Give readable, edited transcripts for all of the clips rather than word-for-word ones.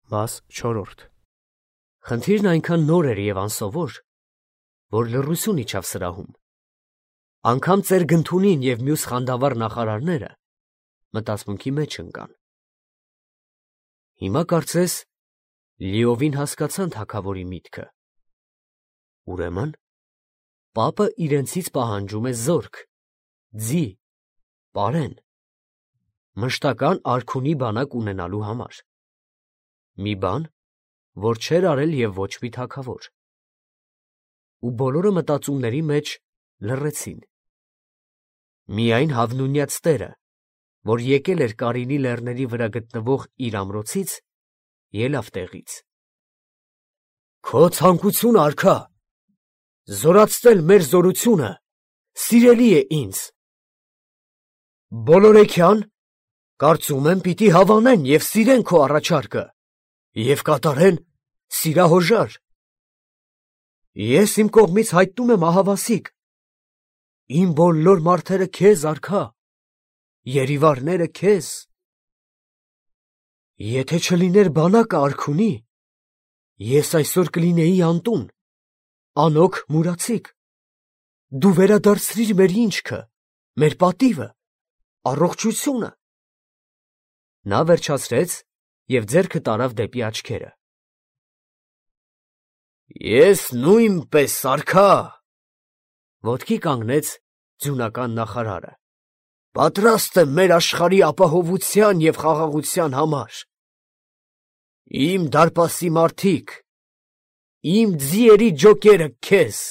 Մաս 4 Խնդիրն այնքան նոր էր և անսովոր, որ լռություն իջավ սրահում. անգամ ծեր Գնթունին և մյուս խանդավառ նախարարները մտածմունքի մեջ ընկան։ Հիմա կարծես լիովին հասկացան թագավորի միտքը։ Ուրեմն պապը իրենցից պահանջում է զորք, ձի, պարեն, մշտական արքունի բանակ ունենալու համար։ Մի բան, որ չէր արել և ոչ մի թագավոր։ Ու բոլորը մտածումների մեջ լռեցին։ Միայն հավնունյաց տերը, որ եկել էր Կարինի լեռների վրա գտնվող իր ամրոցից, ելավ տեղից։ Քո ցանկությունը, արքա, զորացնել մեր զորությունը սիրելի է ինձ։ Բոլորեքյան, կարծում եմ, պիտի հավանեն և սիրեն քո առաջարկը և կատարեն սիրահոժար։ Ես իմ կողմից հայտնում եմ ահավասիկ, իմ բոլոր մարդերը քեզ, արքա, երիվարները քեզ։ Եթե չլիներ բանակը արքունի, ես այսօր կլինեի անտուն, անօգ մուրացիկ։ Դու վերադարձրիր մեր ինչքը, մեր պատիվը, առողջությունը։ Նա վերջացրեց և ձեռքը տարավ դեպի աչքերը։ Ես նույնպես, արքա, ոտքի կանգնեց ձյունական նախարարը, պատրաստ եմ մեր աշխարհի ապահովության և խաղաղության համար։ Իմ դարպասի մարդիկ, իմ ձիերի ջոկերը քեզ,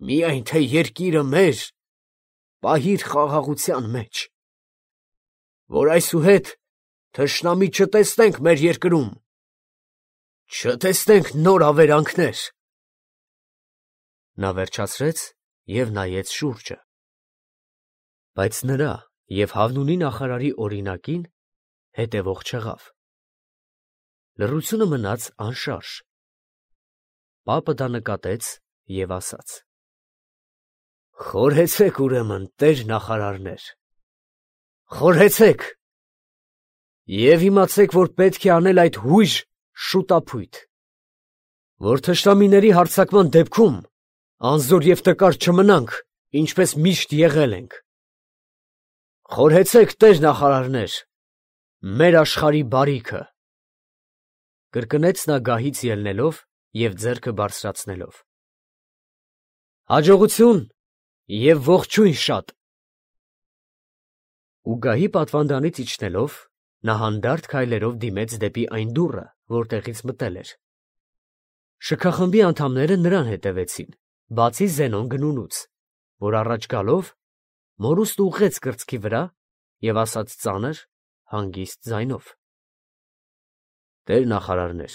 միայն թե երկիրը մեր պահիր խաղաղության մեջ, որ այսուհետ թշնամի չտեսնենք մեր երկրում, չտեսնենք նոր ավերանքներ։ Նա վերջացրեց և նայեց շուրջը։ Բայց նրա և Հավնունի նախարարի օրինակին հետևող չեղավ։ Լռությունը մնաց անշարժ։ Պապը դա նկատեց և ասաց. Խորհեցեք ուրեմն, տեր նախարարներ, խորհեցեք և իմացեք, որ պետք է անել այդ հույժ շուտափույթ, որ թշնամիների հարձակման դեպքում անզոր և տկար չմնանք, ինչպես միշտ եղել ենք։ Խորհեցեք, տեր նախարարներ, մեր աշխարհի բարիքը, կրկնեց նա գահից ելնելով և ձեռքը բարձրացնելով։ Հաջողություն և ողջույն շատ։ Ու գահի պատվանդանից իջնելով, նա հանդարտ քայլերով դիմեց դեպի այն դուռը, որտեղից մտել էր։ Շքախմբի անդամները նրան հետևեցին, բացի Զենոն Գնունուց, որ առաջ գալով մորուստ ուղղեց կրծքի վրա և ասաց ծանր, հանգիստ ձայնով. Տեր նախարարներ,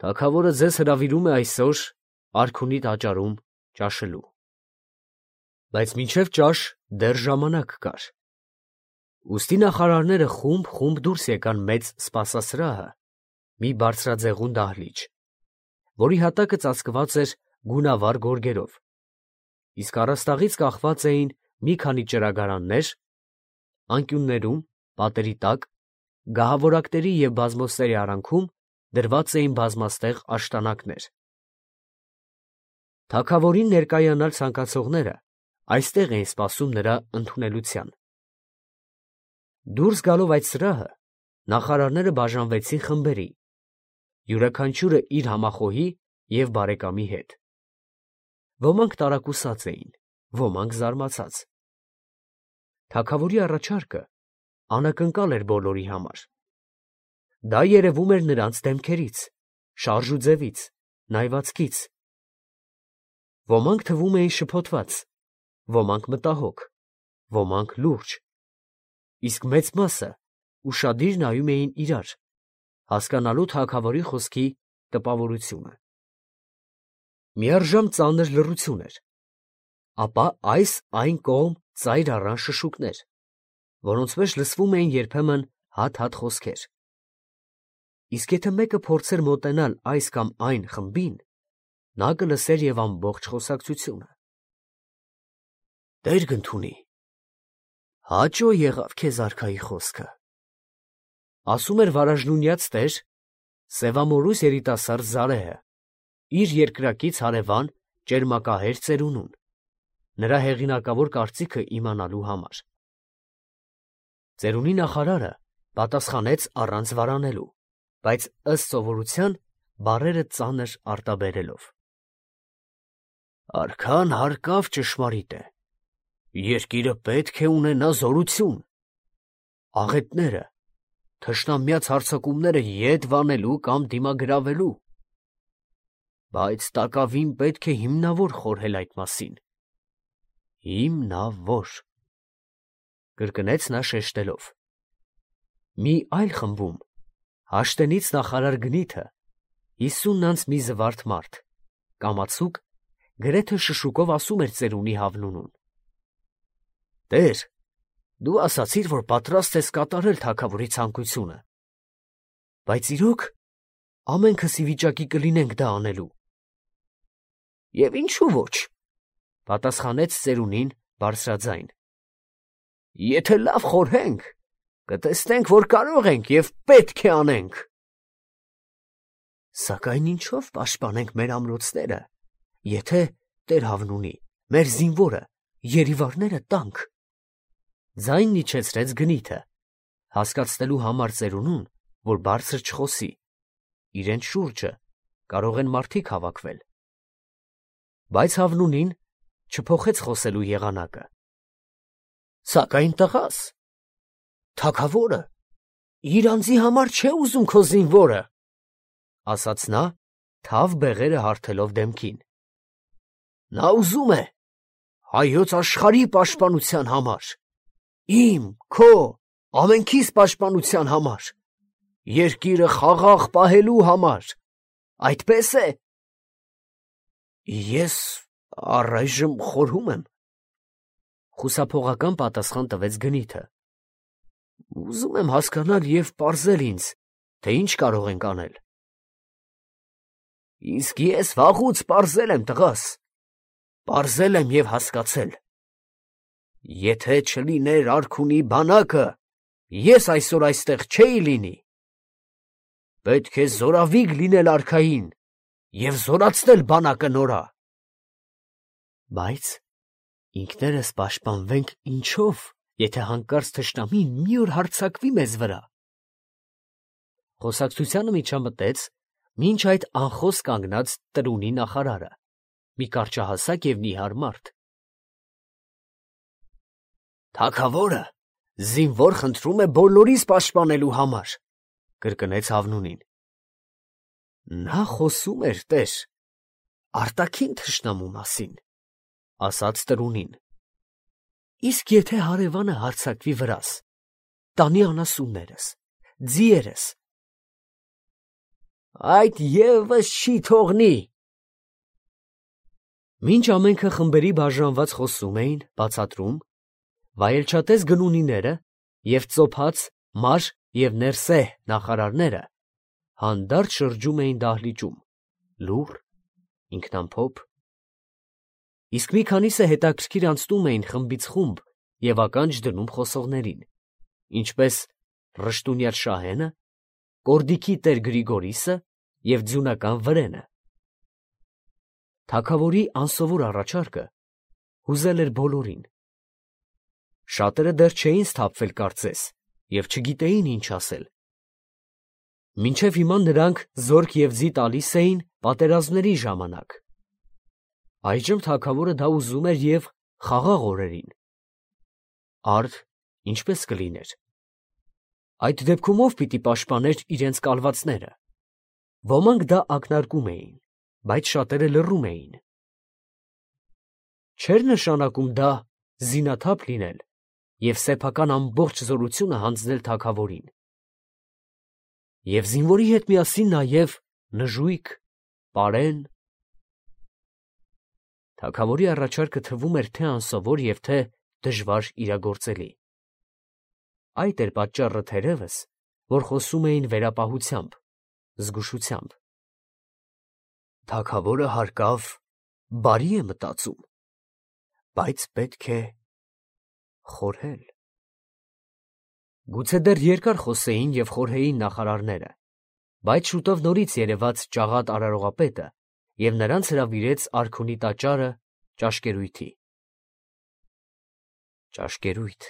թագավորը ձեզ հրավիրում է այսօր արքունի տաճարում ճաշելու։ Բայց մինչև ճաշ դեռ ժամանակ կար։ Ուստի նախարարները խումբ դուրս եկան մեծ սպասասրահը, մի բարձրաձեղուն դահլիճ, որի հատակը ծածկված էր գունավառ գորգերով, իսկ առաստաղից կախված էին մի քանի ճրագարաններ, անկյուններում, պատերի տակ, գահավորակների և բազմոցների արանքում դրված էին բազմաստեղ աշտանակներ։ Թագավորին ներկայանալ ցանկացողները այստեղ էին սպասում նրա ընդունելության։ Դուրս գալով այդ սրահը, նախարարները բաժանվեցին խմբերի, յուրաքանչյուրը իր համախոհի և բարեկամի հետ։ Ոմանք տարակուսած էին, ոմանք զարմացած։ Թագավորի առաջարկը անակնկալ էր բոլորի համար։ Դա երևում էր նրանց դեմքերից, շարժուձևից, նայվածքից։ Ոմանք թվում էին շփոթված, ոմանք մտահոգ, ոմանք լուրջ, իսկ մեծ մասը ուշադիր նայում էին իրար, հասկանալու թագավորի խոսքի տպավորությունը։ Միառժամ ծանր լռություն էր, ապա այս-այն կողմ ծայր առան շշուկներ, որոնց մեջ լսվում էին երբեմն հատ-հատ խոսքեր։ Իսկ եթե մեկը փորձեր մոտենալ այս կամ այն խմբին, նա կլսեր և ամբողջ խոսակցությունը։ Տեր Գնթունի, հաճո եղավ քեզ արքայի խոսքը։ Ասում էր վարաժնունյաց տեր Սևամորուս երիտասարդ Զարեհը, իր երկրակից հարևան ճերմակահեր ծերունուն, նրա հեղինակավոր կարծիքը իմանալու համար։ Ծերունի նախարարը պատասխանեց առանց վարանելու, բայց ըստ սովորության բառերը ծանր արտաբերելով. Արքան հարկավ ճշմարիտ է, երկիրը պետք է ունենա զորություն, աղետները, թշնամյաց հարձակումները ետ վանելու կամ դիմագրավելու, բայց տակավին պետք է հիմնավոր խորհել այդ մասին, հիմնավոր, կրկնեց նա շեշտելով։ Մի այլ խմբում Հաշտենից նախարար Գնիթը 50 անց մի զվարթ մարդ, կամացուկ, գրեթե շշուկով ասում էր ծերունի Հավնունուն. Տեր, դու ասացիր, որ պատրաստ ես կատարել թագավորի ցանկությունը, բայց իրոք ամենքս ի վիճակի կլինենք դա անելու։ Եվ ինչու ոչ, պատասխանեց ծերունին բարձրաձայն։ Եթե լավ խորհենք, կտեսնենք, որ կարող ենք և պետք է անենք։ Սակայն ինչով պաշտպանենք մեր ամրոցները, եթե Տեր Հավնունի, մեր զինվորը, երիվարները տանք։ Ձայնն իջեցրեց Գնիթը, հասկացնելու համար ծերունուն, որ բարձր չխոսի, իրենց շուրջը կարող են մարդիկ հավաքվել։ Բայց Հավնունին չփոխեց խոսելու եղանակը։ Սակայն տղաս, թագավորը իր անձի համար չէ ուզում քո զինվորը, ասաց նա, թավ բեղերը հարթելով դեմքին։ Նա ուզում է հայոց աշխարհի պաշտպանության համար, իմ, քո, ամենքիս պաշտպանության համար, երկիրը խաղաղ պահելու համար, այդպես է։ Ես առայժմ խորհում եմ, խուսափողական պատասխան տվեց Գնիթը։ Ուզում եմ հասկանալ և պարզել ինձ, թե ինչ կարող ենք անել։ Իսկ ես վաղուց պարզել եմ, տղաս, պարզել եմ և հասկացել։ Եթե չլիներ արքունի բանակը, ես այսօր այստեղ չէի լինի։ Պետք է զորավիգ լինել արքային և զորացնել բանակը նորա։ Բայց ինքներս պաշտպանվենք ինչով, եթե հանկարծ թշնամին մի օր հարձակվի մեզ վրա։ Խոսակցությանը միջամտեց մինչ այդ անխոս կանգնած տրունի նախարարը, մի կարճահասակ և նիհար մարդ։ Թագավորը զինվոր խնդրում է բոլորիս պաշտպանելու համար, կրկնեց Հավնունին։ Նա խոսում էր, տեր, արտաքին թշնամու մասին, ասաց տրունին։ Իսկ եթե հարևանը հարձակվի վրաս, տանի անասուններս, ձիերս, այդ ևս չի թողնի։ Մինչ ամենքը խմբերի բաժանված խոսում էին, բացատրում, վայելչատես գնունիները և ծոփած մար և ներսեհ նախարարները հանդարտ շրջում էին դահլիճում, լուռ, ինքնամփոփ, իսկ մի քանիսը հետաքրքիր անցնում էին խմբից խումբ և ականջ դնում խոսողներին, ինչպես Ռշտունյաց Շահենը, Կորդիքի տեր Գրիգորիսը և ձյունական Վրենը։ Թագավորի անսովոր առաջարկը հուզել էր բոլորին։ Շատերը դեռ չէին սթափվել կարծես և չգիտեին ինչ ասել։ Մինչև հիմա նրանք զորք և ձի տալիս էին պատերազմների ժամանակ։ Այժմ թագավորը դա ուզում էր և խաղաղ օրերին։ Արդ ինչպես կլիներ։ Այդ դեպքում ով պիտի պաշտպաներ իրենց կալվածները։ Ոմանք դա ակնարկում էին, բայց շատերը լռում էին։ Չէր նշանակում դա զինաթափ լինել և սեփական ամբողջ զորությունը հանձնել թագավորին։ Եվ զինվորի հետ միասին նաև նժույգ, պարեն։ Թագավորի առաջարկը թվում էր թե անսովոր և թե դժվար իրագործելի։ Այդ էր պատճառը թերևս, որ խոսում էին վերապահությամբ, զգուշությամբ։ Թագավորը հարկավ բարի է մտածում, բայց պետք է խորհել։ Գուցե դեռ երկար խոսեին և խորհեին նախարարները, բայց շուտով նորից երևաց ճաղատ արարողապետը և նրանց հրավիրեց արքունի տաճարը ճաշկերույթի։ Ճաշկերույթ։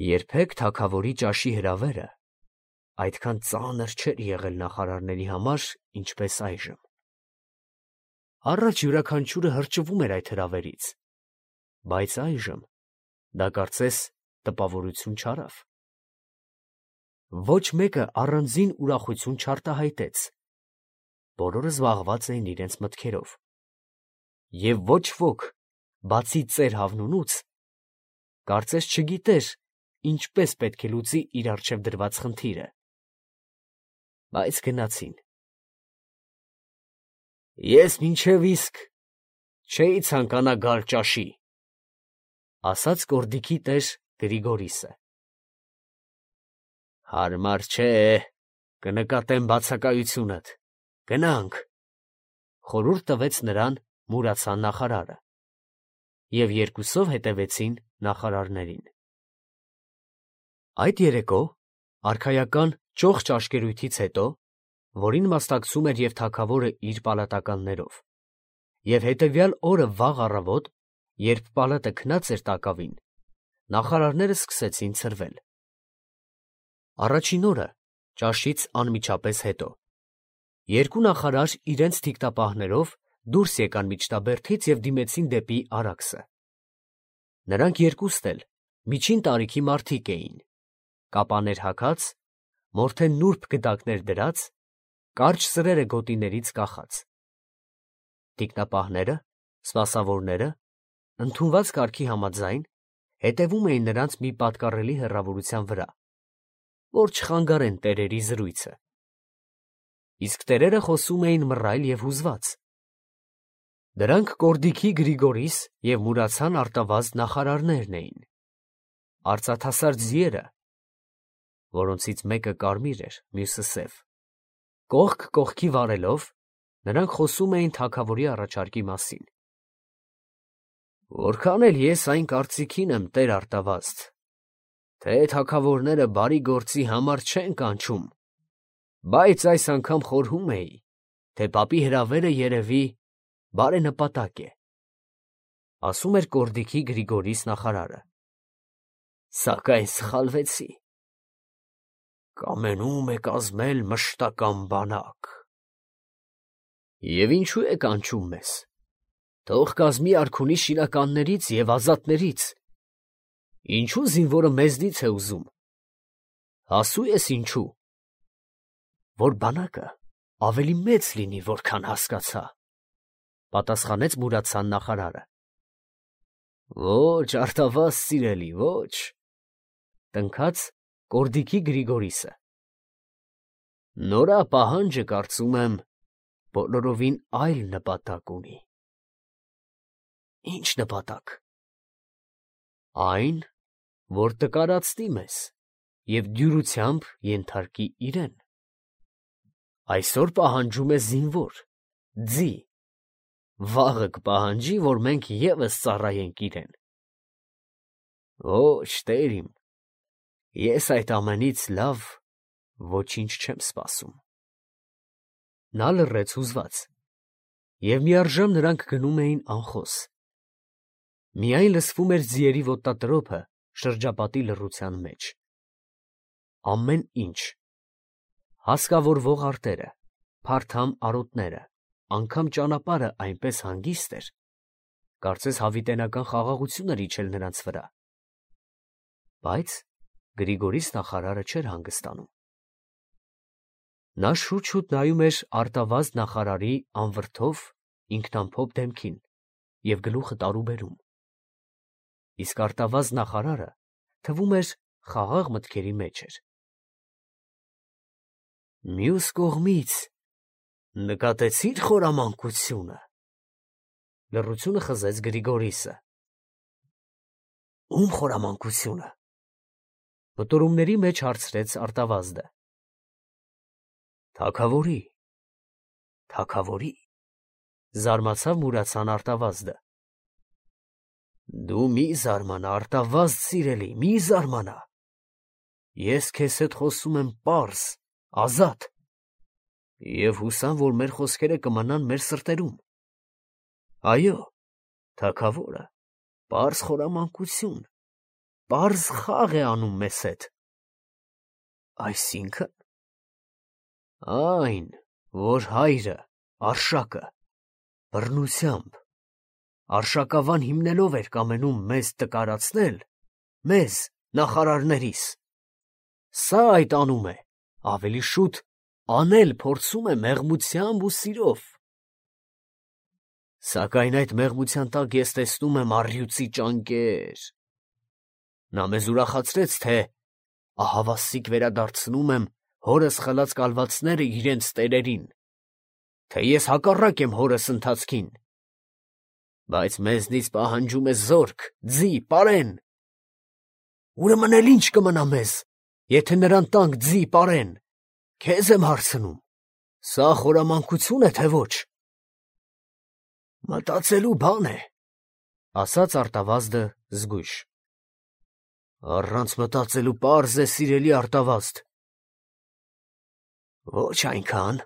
Երբեք թագավորի ճաշի հրավերը այդքան ծանր չէր եղել նախարարների համար, ինչպես այժմ։ Առաջ յուրաքանչյուրը հրճվում էր այդ հրավերից, բայց այժմ դա կարծես տպավորություն չարավ։ Ոչ մեկը առանձին ուրախություն չարտահայտեց։ Բոլորը զբաղված էին իրենց մտքերով։ Եվ ոչ ոք, բացի ծեր Հավնունուց, կարծես չգիտեր, ինչպես պետք է լուծի իր առջև դրված խնդիրը։ Բայց գնացին։ Ես մինչև իսկ չէի ցանկանա գալ ճաշի, ասաց կորդիկի տեր Գրիգորիսը։ Հարմար չէ, կնկատեմ բացակայությունդ, գնանք, խորհուրդ տվեց նրան Մուրացան նախարարը, և երկուսով հետևեցին նախարարներին։ Այդ երեկո արքայական ճոխ ճաշկերույթից հետո, որին մասնակցում էր և թագավորը իր պալատականներով, և հետևյալ օրը վաղ առավոտ, երբ պալատը քնած էր տակավին, նախարարները սկսեցին ցրվել։ Առաջին օրը, ճաշից անմիջապես հետո, երկու նախարար իրենց թիկտապահներով դուրս եկան միջտաբերդից և դիմեցին դեպի Արաքսը։ Նրանք երկուստ էլ միջին տարիքի մարդիկ էին, կապաներ հագած, մորթե նուրբ գդակներ դրած, կարճ սրերը գոտիներից կախած։ Թիկնապահները, սպասավորները, ընդունված կարգի համաձայն, հետևում էին նրանց մի պատկառելի հեռավորության վրա, որ չխանգարեն տերերի զրույցը։ Իսկ տերերը խոսում էին մռայլ և հուզված։ Դրանք կորդիկի Գրիգորիս և Մուրացան արտավազդ նախարարներն էին, արծաթասար ձիերը, որոնցից մեկը կարմիր էր, մյուսը սև։ Կողք կողքի վարելով, նրանք խոսում էին թագավորի առաջարկի մասին։ Որքան էլ ես այն կարծիքին եմ, տեր Արտավազդ, թե թագավորները բարի գործի համար չեն կանչում, բայց այս անգամ խորհում էի, թե պապի հրավերը երևի բարենպատակ է, ասում էր կորդիկի Գրիգորիս նախարարը։ Սակայն սխալվեցի։ Կամենում է կազմել մշտական բանակ։ Եվ ինչու է կանչում մեզ, թող կազմի արքունի շինականներից և ազատներից, ինչու զինվորը մեզնից է ուզում, հասու ես ինչու, որ բանակը ավելի մեծ լինի, որքան հասկացա, պատասխանեց Մուրացան նախարարը։ Ոչ, Արտավազդ սիրելի, ոչ, տնքաց կորդիկի Գրիգորիսը։ Նորա պահանջը, կարծում եմ, բոլորովին այլ նպատակ ունի։ Ինչ նպատակ։ Այն, որ տկարացնի մեզ և դյուրությամբ ենթարկի իրեն։ Այսօր պահանջում է զինվոր, ձի, վաղը կպահանջի, որ մենք ևս ծառայենք իրեն։ Ոչ, տեր իմ, ես այդ ամենից լավ ոչինչ չեմ սպասում։ Նա լռեց հուզված, և միառժամ նրանք գնում էին անխոս։ Միայն լսվում էր ձիերի ոտնատրոփը շրջապատի լռության մեջ։ Ամեն ինչ, հասկավորվող արտերը, փարթամ արոտները, անգամ ճանապարհը այնպես հանգիստ էր, կարծես հավիտենական խաղաղություն էր իջել նրանց վրա։ Բայց Գրիգորիս նախարարը չէր հանգստանում։ Նա շուտ-շուտ նայում էր Արտավազդ նախարարի անվրդով, ինքնամփոփ դեմքին և գլուխը տարուբերում։ Իսկ Արտավազդ նախարարը, թվում էր, խաղաղ մտքերի մեջ էր։ Մյուս կողմից նկատեցի՞ր խորամանկությունը, լռությունը խզեց Գրիգորիսը։ Ում խորամանկությունը, մտորումների մեջ հարցրեց Արտավազդը։ Թագավորի, թագավորի, զարմացավ Մուրացան Արտավազդը։ Դու մի զարմանա, արտավազդ սիրելի, մի զարմանա։ Ես քեզ հետ խոսում եմ պարզ, ազատ, և հուսամ, որ մեր խոսքերը կմնան մեր սրտերում։ Այո, թագավորը պարզ խորամանկություն, պարզ խաղ է անում մեզ հետ։ Այսինքն, այն, որ հայրը, Արշակը, բռնությամբ, արշակավան հիմնելով էր կամենում մեզ տկարացնել, մեզ, նախարարներիս, սա այդ անում է, ավելի շուտ անել փորձում է մեղմությամբ ու սիրով։ Սակայն այդ մեղմության տակ ես տեսնում եմ առյուծի ճանկեր։ Նա մեզ ուրախացրեց, թե ահավասիկ վերադարձնում եմ հորս խլած կալվածները իրենց տերերին, թե ես հակառակ եմ հորս ընթացքին, բայց մեզնից պահանջում է զորք, ձի, պարեն։ Ուրեմն էլ ինչ կմնա մեզ, եթե նրան տանք ձի, պարեն, քեզ եմ հարցնում, սա խորամանկություն է, թե ոչ։ Մտածելու բան է, ասաց արտավազդը զգույշ։ Առանց մտածելու պարզ է, սիրելի արտավազդ։ Ոչ այնքան։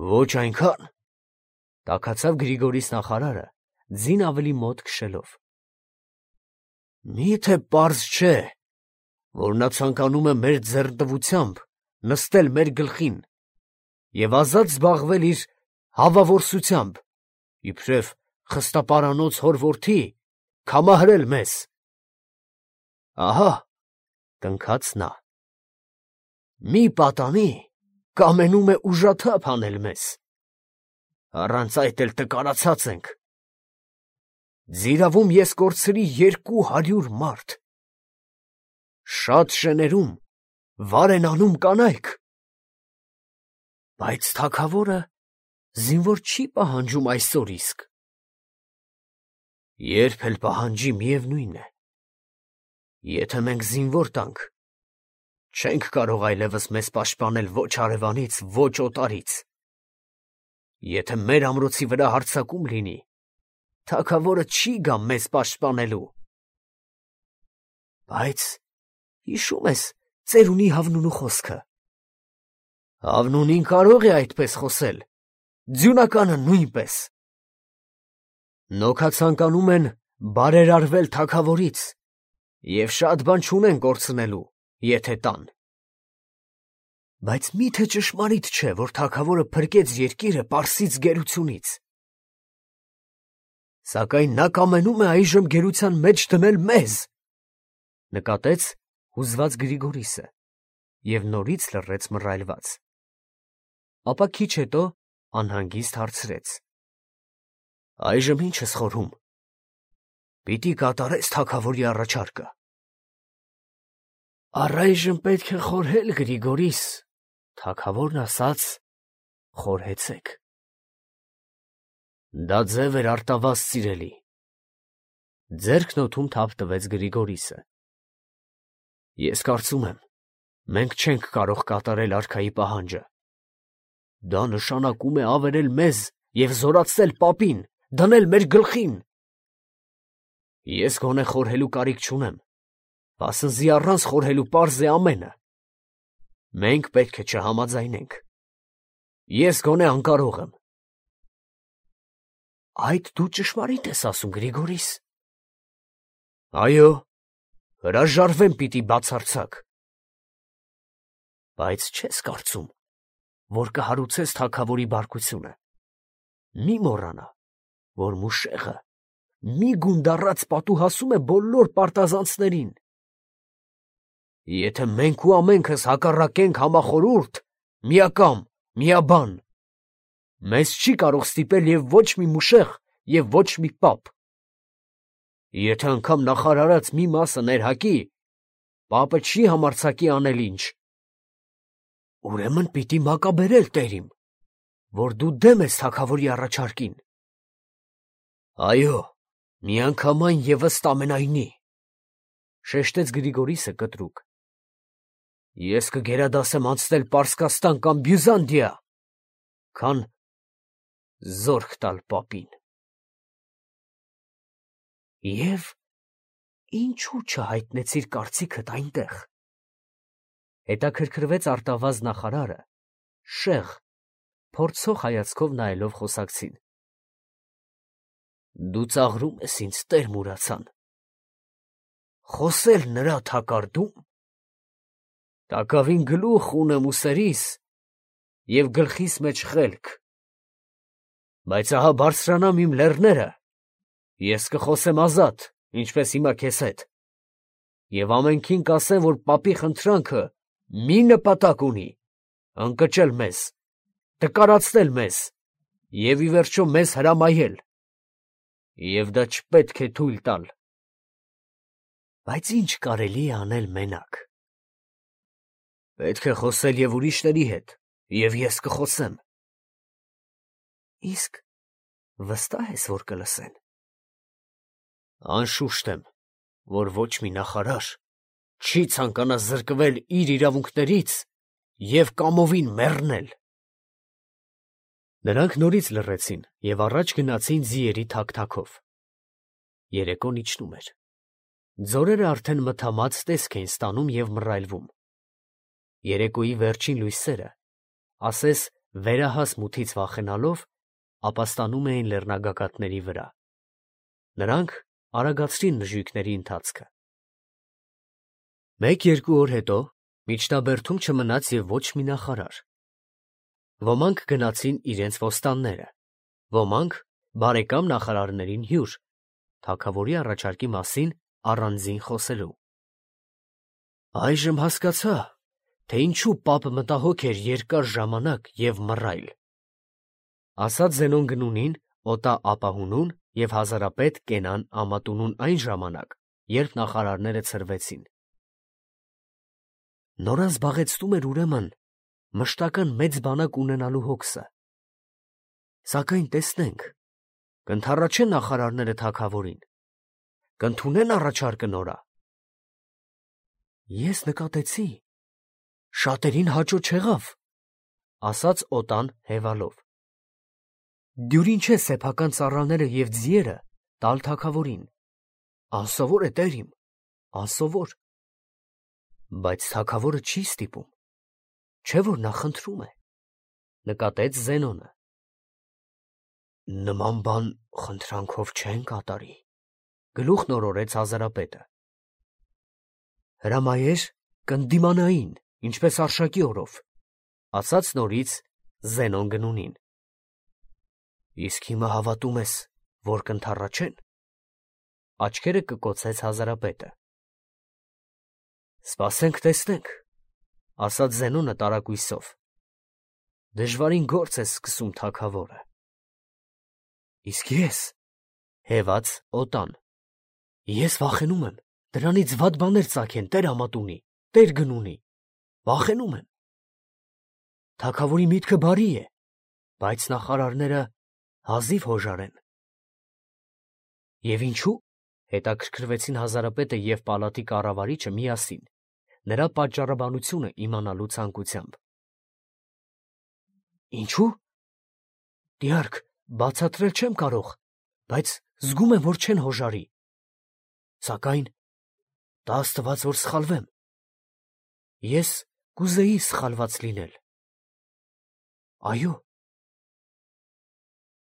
Ոչ այնքան, տաքացավ Գրիգորիս նախարարը, ձին ավելի մոտ քշելով։ Մի՞թե պարզ չէ, որ նա ցանկանում է մեր ձեռնտվությամբ նստել մեր գլխին և ազատ զբաղվել իր հավավորսությամբ, իբրև խստապարանոց հոր որդի, քամահրել մեզ։ Ահա, տնքաց նա, մի պատանի, կամենում է ուժաթափ անել մեզ, առանց այդ էլ տկարացած ենք։ Ձիրավում ես կորցրի 200 մարդ, շատ շեներում վար են անում կանայք, բայց թագավորը զինվոր չի պահանջում այսօր իսկ։ Երբ էլ պահանջի, միևնույն է, եթե մենք զինվոր տանք, չենք կարող այլևս մեզ պաշտպանել ոչ հարևանից, ոչ օտարից։ Եթե մեր ամրոցի վրա հարձակում լինի, թագավորը չի գա մեզ պաշտպանելու։ Բայց հիշում ես ծերունի Հավնունու խոսքը։ Հավնունին կարող է այդպես խոսել, ձյունականը նույնպես։ Նոքացանկանում են բարերարվել թագավորից և շատ բան չունեն կորցնելու, եթե տան։ Բայց մի՞թե ճշմարիտ չէ, որ թագավորը փրկեց երկիրը Պարսից գերությունից։ Սակայն նա կամենում է այժմ գերության մեջ դնել մեզ, նկատեց հուզված Գրիգորիսը և նորից լռեց մռայլված։ Ապա քիչ հետո անհանգիստ հարցրեց. Այժմ ի՞նչ ես խորհում։ Պիտի կատարես թագավորի առաջարկը։ Առայժմ պետք է խորհել, Գրիգորիս, թագավորն ասաց, խորհեցեք։ Դա ձև էր արտավազդ սիրելի։ Ձեռքն օդում թափ տվեց Գրիգորիսը։ Ես կարծում եմ, մենք չենք կարող կատարել արքայի պահանջը։ Դա նշանակում է ավերել մեզ և զորացնել պապին, դնել մեր գլխին։ Ես գոնե խորհելու կարիք չունեմ, վասնզի առանց խորհելու պարզ է ամենը։ Մենք պետք է չհամաձայնենք։ Ես գոնե անկարող եմ։ Այդ դու ճշմարիտ ես ասում, Գրիգորիս։ Այո, հրաժարվեմ պիտի բացարձակ։ Բայց չես կարծում, որ կհարուցես թագավորի բարկությունը։ Մի մոռանա, որ Մուշեղը մի գունդառած պատուհասում է բոլոր պարտազանցներին։ Եթե մենք ու ամենքս հակառակենք համախորհուրդ, միակամ, միաբան, մեզ չի կարող ստիպել և ոչ մի Մուշեղ, և ոչ մի պապ։ Եթե անգամ նախարարած մի մասը ներհակի, պապը չի համարձակի անել ինչ։ Ուրեմն պիտի մակաբերել տերիմ, որ դու դեմ ես թագավորի առաջարկին։ Այո, միանգամայն և ըստ ամենայնի, շեշտեց Գրիգորիսը կտրուկ։ Ես կգերադասեմ անցնել Պարսկաստան կամ Բյուզանդիա, քան զորք տալ պապին։ Եվ ինչու չհայտնեցիր կարծիքդ այնտեղ։ Հետաքրքրվեց արտավազ նախարարը, շեղ, փորձող հայացքով նայելով խոսակցին։ Դու ծաղրում ես ինձ, Տեր Մուրացան։ Խոսել նրա թակարդում։ Տակավին գլուխ ունեմ ուսերիս և գլխիս մեջ խելք։ Բայց ահա բարձրանամ իմ լեռները, ես կխոսեմ ազատ, ինչպես հիմա քեզ հետ, և ամենքին կասեմ, որ պապի խնդրանքը մի նպատակ ունի, ընկճել մեզ, տկարացնել մեզ և ի վերջո մեզ հրամայել, և դա չպետք է թույլ տալ։ Բայց ինչ կարելի է անել մենակ։ Պետք է խոսել և ուրիշների հետ, և ես կխոսեմ։ Իսկ վստահ ես, որ կլսեն։ Անշուշտ եմ, որ ոչ մի նախարար չի ցանկանա զրկվել իր իրավունքներից և կամովին մեռնել։ Նրանք նորից լռեցին և առաջ գնացին ձիերի թափթափով։ Երեկոն իջնում էր։ Ձորերը արդեն մթամած տեսք էին ստանում և մռայլվում։ Երեկոյի վերջին լույսերը, ասես վերահաս մութից վախենալով, ապաստանում էին լեռնագագաթների վրա։ Նրանք արագացրին նժույգների ընթացքը։ Մեկ-երկու օր հետո միջնաբերդում չմնաց և ոչ մի նախարար։ Ոմանք գնացին իրենց ոստանները, ոմանք բարեկամ նախարարներին հյուր, թագավորի առաջարկի մասին առանձին խոսելու։ Այժմ հասկացա, թե ինչու պապը մտահոգ էր երկար ժամանակ և մռայլ, ասաց Զենոն Գնունին Օտա ապահունուն և հազարապետ Կենան Ամատունուն այն ժամանակ, երբ նախարարները ցրվեցին։ Նորանզբաղեցնում էր ուրեմն մշտական մեծ բանակ ունենալու հոգսը։ Սակայն տեսնենք, կընդառաջեն նախարարները թագավորին, կընդունեն առաջարկը նորա։ Ես նկատեցի, շատերին հաճո չեղավ, ասաց Օտան հևալով։ Դյուրին չէ սեփական ծառաները և ձիերը տալ թագավորին։ Անսովոր է, տեր իմ, անսովոր։ Բայց թագավորը չի ստիպում, չէ՞ որ նա խնդրում է, նկատեց Զենոնը։ Նման բան խնդրանքով չեն կատարի, գլուխ նորորեց հազարապետը։ Հրամայեր կընդդիմանային, ինչպես արշակի օրով, ասաց նորից Զենոն Գնունին։ Իսկ հիմա հավատում ես, որ կընդառաջեն։ Աչքերը կկոցեց հազարապետը։ Սպասենք տեսնենք, ասաց Զենոնը տարակույսով։ Դժվարին գործ է սկսում թագավորը։ Իսկ ես, հևաց Օտան, ես վախենում եմ դրանից վատ բաներ ծագեն տեր Ամատունի, տեր Գնունի, վախենում եմ։ Թագավորի միտքը բարի է, բայց նախարարները հազիվ հոժար են։ Եվ ինչու՞, հետաքրքրվեցին հազարապետը և պալատի կառավարիչը միասին, նրա պատճառաբանությունը իմանալու ցանկությամբ։ Ինչու՞։ Դիարք, բացատրել չեմ կարող, բայց զգում եմ, որ չեն հոժարի։ Սակայն տա աստված, որ սխալվեմ։ Ես կուզեի սխալված լինել։ Այո,